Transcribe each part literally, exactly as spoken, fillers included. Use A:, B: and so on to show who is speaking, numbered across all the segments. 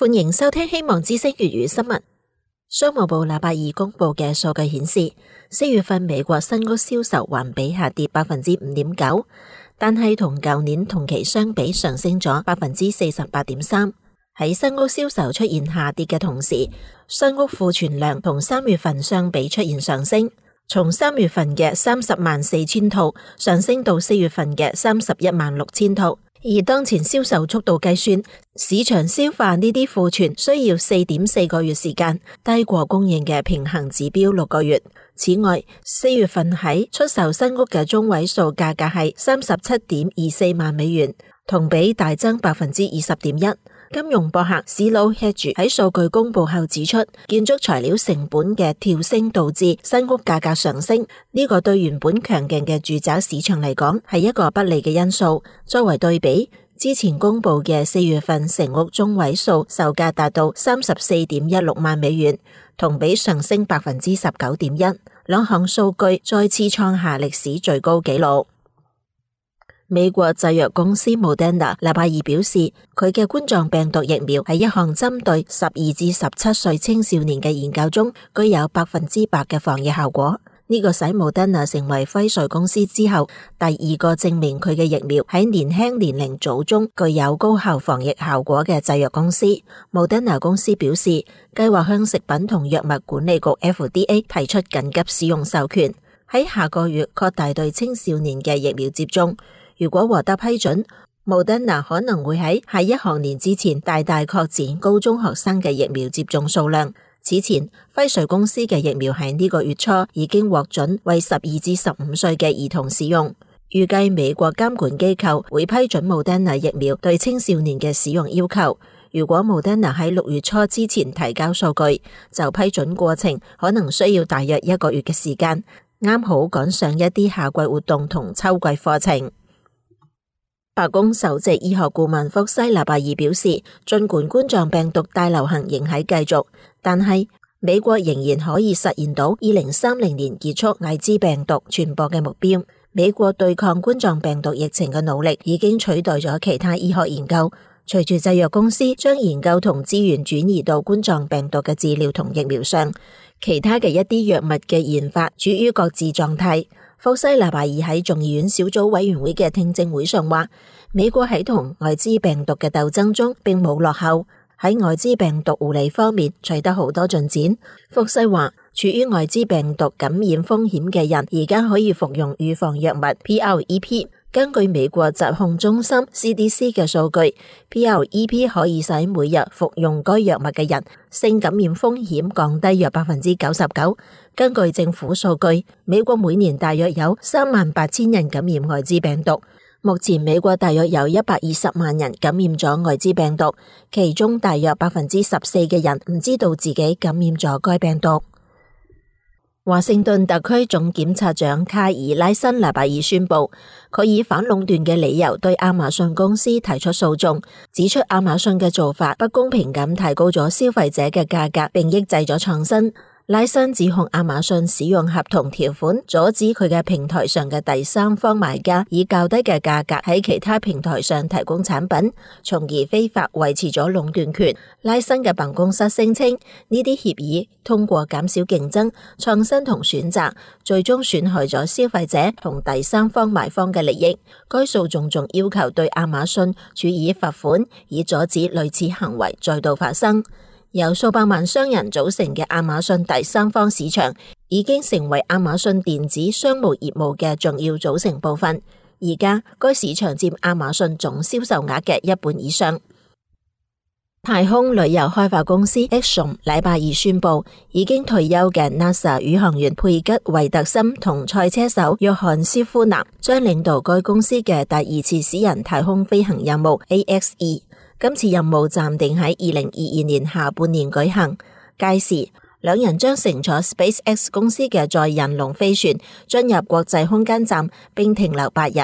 A: 歡迎收聽希望之聲粵語新聞。商務部禮拜二公布嘅數據顯示，四月份美國新屋銷售環比下跌百分之五點九，但係同舊年同期相比上升咗百分之四十八點三。喺新屋銷售出現下跌嘅同時，新屋庫存量同三月份相比出現上升，從三月份嘅三十萬四千套上升到四月份嘅三十一萬六千套。以當前銷售速度計算，市場消化呢啲庫存需要四點四個月時間，低過供應嘅平衡指標六個月。此外，四月份喺出售新屋嘅中位數價格係三十七點二四萬美元，同比大增百分之二十點一。金融博客 Zillow Hedge 喺數據公布後指出，建築材料成本嘅跳升導致新屋價格上升，呢個對原本強勁嘅住宅市場嚟講係一個不利嘅因素。作為對比，之前公布嘅四月份成屋中位數售價達到三十四點一六萬美元，同比上升百分之十九點一，兩項數據再次創下歷史最高紀錄。美國製藥公司 Moderna 禮拜二表示，佢嘅冠狀病毒疫苗喺一項針對十二至十七歲青少年嘅研究中，具有百分之百嘅防疫效果。呢、這個使 Moderna 成為輝瑞公司之後第二個證明佢嘅疫苗喺年輕年齡組中具有高效防疫效果嘅製藥公司。Moderna 公司表示，計劃向食品同藥物管理局 F D A 提出緊急使用授權，喺下個月擴大對青少年嘅疫苗接種。如果獲得批准， Moderna 可能會喺下一學年之前大大擴展高中學生嘅疫苗接種數量。此前，輝瑞公司嘅疫苗喺呢個月初已經獲准為十二至十五歲嘅兒童使用。預計美國監管機構會批准 Moderna 疫苗對青少年嘅使用要求。如果 Moderna 喺六月初之前提交數據，就批准過程可能需要大約一個月嘅時間，啱好趕上一啲夏季活動同秋季課程。白宮首席醫學顧問福西禮拜二表示，儘管冠狀病毒大流行仍喺繼續，但係美國仍然可以實現到二零三零年結束艾滋病毒傳播嘅目標。美國對抗冠狀病毒疫情嘅努力已經取代咗其他醫學研究。隨住製藥公司將研究同資源轉移到冠狀病毒嘅治療同疫苗上，其他嘅一啲藥物嘅研發處於擱置狀態。福西禮拜二喺眾議院小組委員會嘅聽證會上話，美國喺同艾滋病毒嘅鬥爭中並冇落後，喺艾滋病毒護理方面取得好多進展。福西話，處於艾滋病毒感染風險嘅人而家可以服用預防藥物 P R E P。根據美國疾控中心 C D C 嘅數據， P R E P 可以使每日服用該藥物嘅人性感染風險降低約百分之九十九。根據政府數據，美國每年大約有三萬八千人感染艾滋病毒。目前美國大約有一百二十萬人感染咗艾滋病毒，其中大約百分之十四嘅人唔知道自己感染咗該病毒。華盛頓特區總檢察長卡爾拉辛禮拜二宣布，佢以反壟斷嘅理由對亞馬遜公司提出訴訟，指出亞馬遜嘅做法不公平咁提高咗消費者嘅價格，並抑制咗創新。拉辛指控亞馬遜使用合同條款阻止佢嘅平台上嘅第三方買家以較低嘅價格喺其他平台上提供產品，從而非法維持咗壟斷權。拉辛嘅辦公室聲稱，呢啲協議通過減少競爭、創新同選擇，最終損害咗消費者同第三方買方嘅利益。該訴訟仲要求對亞馬遜處以罰款，以阻止類似行為再度發生。由數百萬商人組成嘅亞馬遜第三方市場已經成為亞馬遜電子商務業務嘅重要組成部分。而家該市場佔亞馬遜總銷售額嘅一半以上。太空旅遊開發公司 Axiom 禮拜二宣布，已經退休嘅 NASA 宇航員佩吉維特森同賽車手約翰斯夫納將領導該公司嘅第二次私人太空飛行任務 A X E。今次任務暫定喺二零二二年下半年舉行，屆時兩人將乘坐 SpaceX 公司嘅載人龍飛船進入國際空間站並停留八日。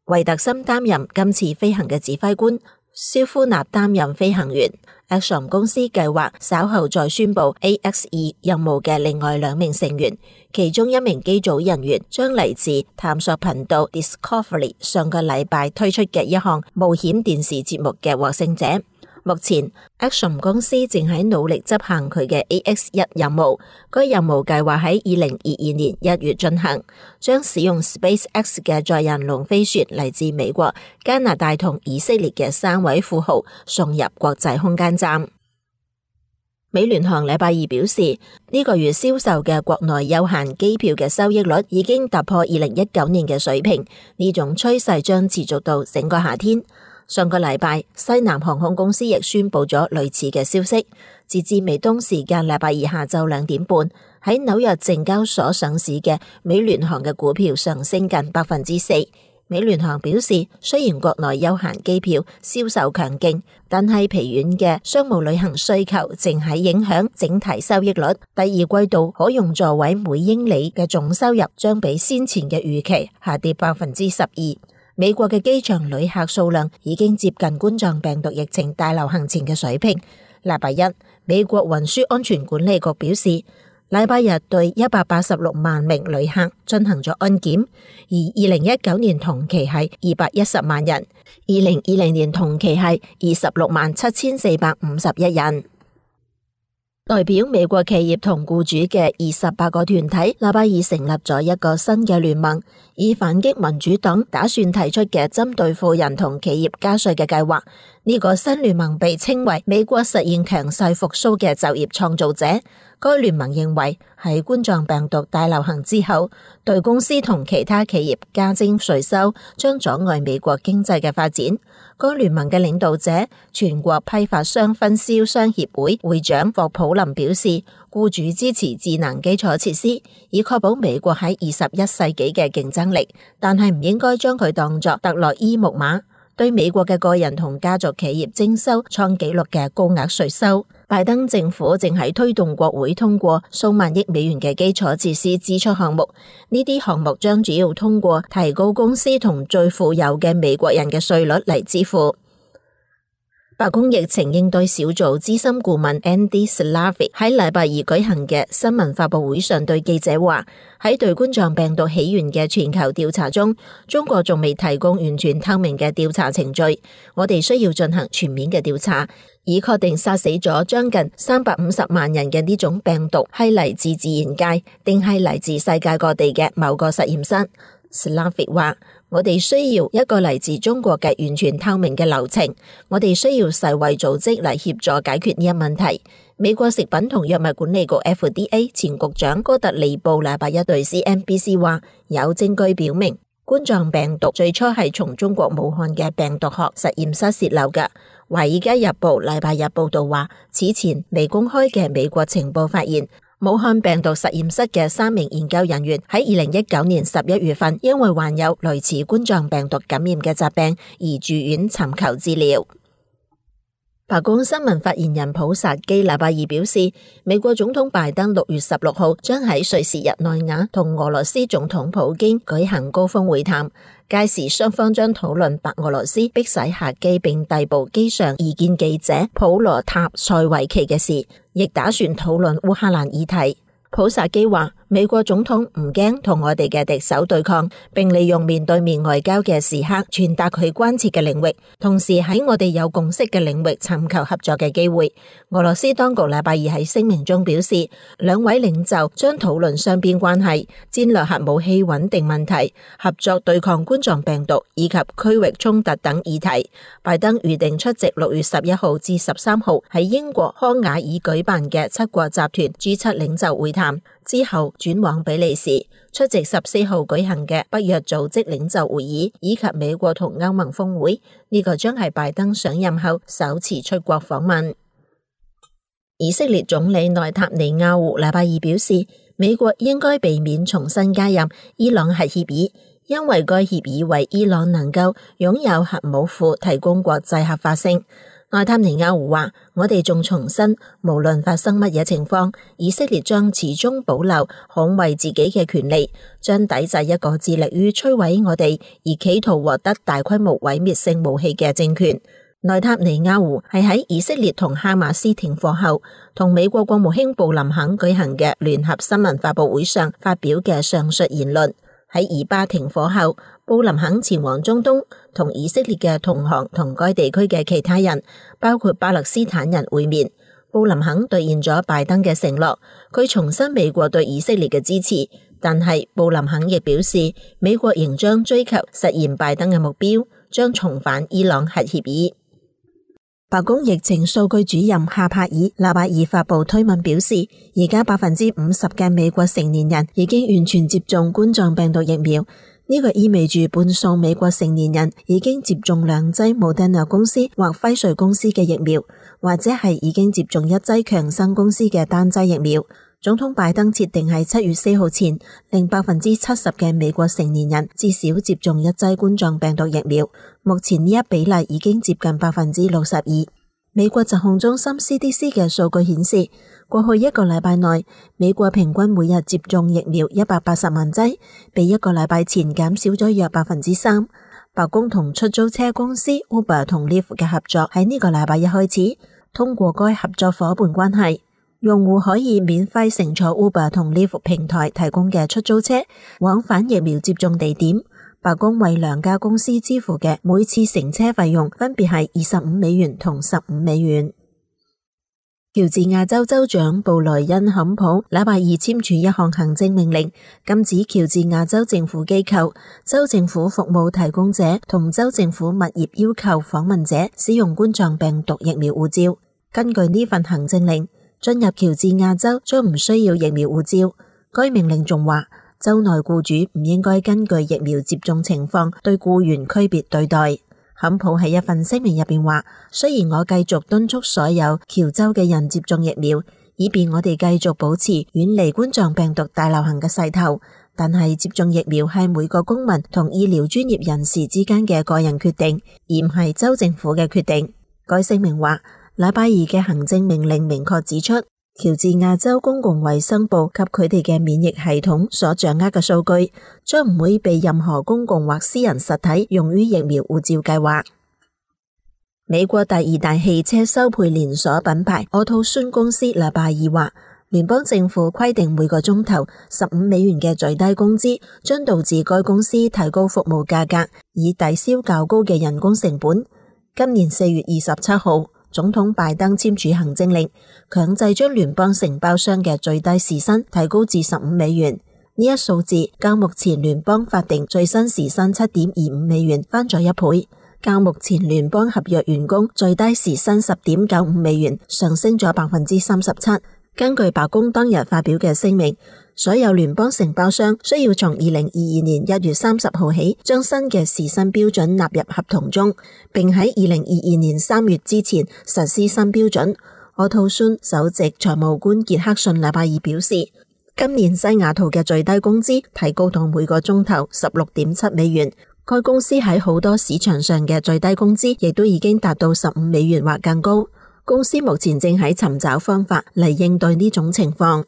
A: 維特森擔任今次飛行嘅指揮官，肖夫納擔任飛行員。Axiom 公司計劃稍後再宣布 A X E 任務嘅另外兩名成員，其中一名機組人員將嚟自探索頻道 Discovery 上個禮拜推出嘅一項冒險電視節目嘅獲勝者。目前 Axiom 公司正喺努力執行佢嘅 A X 一任務，該任務計劃喺二零二二年一月進行，將使用 SpaceX 嘅載人龍飛船嚟自美國、加拿大同以色列嘅三位富豪送入國際空間站。美聯航禮拜二表示，呢、這個月銷售嘅國內有限機票嘅收益率已經突破二零一九年嘅水平，呢種趨勢將持續到整個夏天。上個禮拜，西南航空公司亦宣布咗類似嘅消息。截至美東時間禮拜二下晝兩點半，喺紐約證交所上市嘅美聯航嘅股票上升近百分之四。美聯航表示，雖然國內休閒機票銷售強勁，但係疲軟嘅商務旅行需求正喺影響整體收益率。第二季度可用座位每英里嘅總收入將比先前嘅預期下跌百分之十二。美國嘅機場旅客數量已經接近冠狀病毒疫情大流行前嘅水平。禮拜一，美國運輸安全管理局表示，禮拜日對一百八十六萬名旅客進行咗安檢，而二零一九年同期係二百一十萬人，二零二零年同期係二十六萬七千四百五十一人。代表美國企業同僱主嘅二十八個團體，禮拜二成立咗一個新嘅聯盟，以反擊民主黨打算提出嘅針對富人同企業加稅嘅計劃。呢個新聯盟被稱為美國實現強勢復甦嘅就業創造者。該聯盟認為喺冠狀病毒大流行之後，對公司同其他企業加徵稅收將阻礙美國經濟嘅發展。該聯盟嘅領導者、全國批發商分銷商協會會長霍普林表示，僱主支持智能基礎設施，以確保美國喺二十一世紀嘅競爭力，但係唔應該將佢當作特洛伊木馬，對美國嘅個人同家族企業徵收創紀錄嘅高額稅收。拜登政府正喺推動國會通過數萬億美元嘅基礎設施支出項目，呢啲項目將主要通過提高公司同最富有嘅美國人嘅稅率嚟支付。白宮疫情應對小組資深顧問 Andy Slavitt 喺禮拜二舉行嘅新聞發佈會上對記者話，喺對冠狀病毒起源嘅全球調查中，中國仲未提供完全透明嘅調查程序，我哋需要進行全面嘅調查，以確定殺死咗將近三百五十萬人嘅呢種病毒係嚟自自然界，定係嚟自世界各地嘅某個實驗室。Slavitt 話，我哋需要一個嚟自中國嘅完全透明嘅流程，我哋需要世衛組織嚟協助解決呢一問題。美國食品同藥物管理局 F D A 前局長哥特利布禮拜一對 C N B C 話，有證據表明冠狀病毒最初係從中國武漢嘅病毒學實驗室洩漏嘅。華爾街日報禮拜日報道話，此前未公開嘅美國情報發現，武漢病毒實驗室嘅三名研究人員喺二零一九年十一月份因為患有類似冠狀病毒感染嘅疾病而住院尋求治療。白宮新聞發言人普薩基禮拜二表示，美國總統拜登六月十六號將喺瑞士日內瓦同俄羅斯總統普京舉行高峰會談，屆時雙方將討論白俄羅斯迫使客機並逮捕機上異見記者普羅塔塞維奇嘅事，亦打算討論烏克蘭議題。普薩基話，美國總統唔驚同我哋嘅敵手對抗，並利用面對面外交嘅時刻傳達佢關切嘅領域，同時喺我哋有共識嘅領域尋求合作嘅機會。俄羅斯當局禮拜二喺聲明中表示，兩位領袖將討論雙邊關係、戰略核武器穩定問題、合作對抗冠狀病毒以及區域衝突等議題。拜登預定出席六月十一號至十三號喺英國康瓦爾舉辦嘅七國集團 G 七領袖會談，之後轉往比利時出席十四號舉行嘅北約組織領袖會議以及美國同歐盟峰會。呢、這個將係拜登上任後首次出國訪問。以色列總理內塔尼亞胡禮拜二表示，美國應該避免重新加入伊朗核協議，因為該協議為伊朗能夠擁有核武庫提供國際合法性。內塔尼亞胡話，我哋仲重申，無論發生乜嘢情況，以色列將始終保留捍衛自己嘅權利，將抵制一個致力於摧毀我哋而企圖獲得大規模毀滅性武器嘅政權。內塔尼亞胡係喺以色列同哈馬斯停火後，同美國國務卿布林肯舉行嘅聯合新聞發佈會上發表嘅上述言論。喺以巴停火後，布林肯前往中東，同以色列嘅同行同該地區嘅其他人，包括巴勒斯坦人會面。布林肯兌現咗拜登嘅承諾，佢重申美國對以色列嘅支持，但係布林肯亦表示，美國仍將追求實現拜登嘅目標，將重返伊朗核協議。白宮疫情數據主任夏帕爾納巴爾發布推文表示，而家百分之五十嘅美國成年人已經完全接種冠狀病毒疫苗，呢個意味住半數美國成年人已經接種兩劑莫德納公司或輝瑞公司嘅疫苗，或者係已經接種一劑強生公司嘅單劑疫苗。總統拜登設定喺七月四號前，令百分之七十嘅美國成年人至少接種一劑冠狀病毒疫苗。目前呢一比例已經接近百分之六十二。美國疾控中心 C D C 嘅數據顯示，過去一個禮拜內，美國平均每日接種疫苗一百八十萬劑，比一個禮拜前減少咗約百分之三。白宮同出租車公司 Uber 同 Lyft 嘅合作喺呢個禮拜一開始，通過該合作夥伴關係，用戶可以免費乘坐 Uber 同 Lyft 平台提供嘅出租車，往返疫苗接種地點。白宮為兩家公司支付嘅每次乘車費用分別係二十五美元同十五美元。喬治亞州州長布萊恩坎普禮拜二簽署一項行政命令，禁止喬治亞州政府機構、州政府服務提供者同州政府物業要求訪問者使用冠狀病毒疫苗護照。根據呢份行政令，進入喬治亞州將唔需要疫苗護照。該命令仲話，州內雇主唔應該根據疫苗接種情況對雇員區別對待。坎普喺一份聲明入邊話，雖然我繼續敦促所有喬州嘅人接種疫苗，以便我哋繼續保持遠離冠狀病毒大流行嘅勢頭，但係接種疫苗係每個公民同醫療專業人士之間嘅個人決定，而唔係州政府嘅決定。該聲明話，禮拜二嘅行政命令明確指出，喬治亞州公共衛生部及佢哋嘅免疫系統所掌握嘅數據，將唔會被任何公共或私人實體用於疫苗護照計劃。美國第二大汽車修配連鎖品牌奧托孫公司禮拜二話，聯邦政府規定每個鐘頭十五美元嘅最低工資，將導致該公司提高服務價格，以抵消較高嘅人工成本。今年四月二十七號，總統拜登簽署行政令，強制將聯邦承包商嘅最低時薪提高至十五美元。呢一數字較目前聯邦法定最新時薪七點二五美元翻咗一倍，較目前聯邦合約員工最低時薪十點九五美元上升咗百分之三十七。根據白宮當日發表嘅聲明，所有聯邦承包商需要從二零二二年一月三十號起將新嘅時薪標準納入合同中，並喺二零二二年三月之前實施新標準。奧托孫首席財務官傑克遜禮拜二表示，今年西雅圖嘅最低工資提高到每個鐘頭十六點七美元。該公司喺好多市場上嘅最低工資亦都已經達到十五美元或更高。公司目前正喺尋找方法嚟應對呢種情況。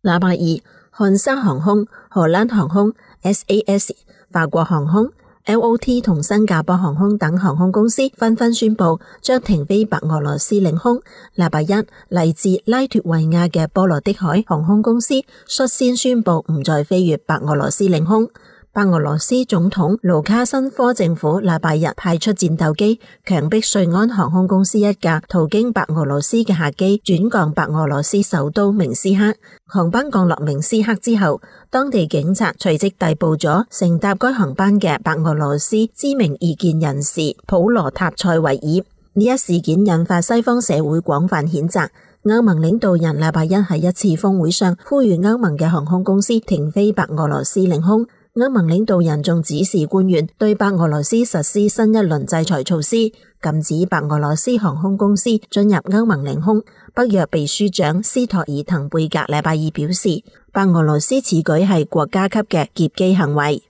A: 禮拜二，漢莎航空、荷蘭航空、S A S、法國航空、L O T 同新加坡航空等航空公司紛紛宣布將停飛白俄羅斯領空。禮拜一，嚟自拉脫維亞嘅波羅的海航空公司率先宣布唔再飛越白俄羅斯領空。白俄羅斯總統盧卡申科政府禮拜日派出戰鬥機，強迫瑞安航空公司一架途經白俄羅斯嘅客機轉降白俄羅斯首都明斯克。航班降落明斯克之後，當地警察隨即逮捕咗乘搭該航班嘅白俄羅斯知名異見人士普羅塔塞維爾。呢一事件引發西方社會廣泛譴責。歐盟領導人禮拜一喺一次峰會上呼籲歐盟嘅航空公司停飛白俄羅斯領空。歐盟領導人仲指示官員對白俄羅斯實施新一輪制裁措施，禁止白俄羅斯航空公司進入歐盟領空。北約秘書長斯托爾滕貝格禮拜二表示，白俄羅斯此舉係國家級嘅劫機行為。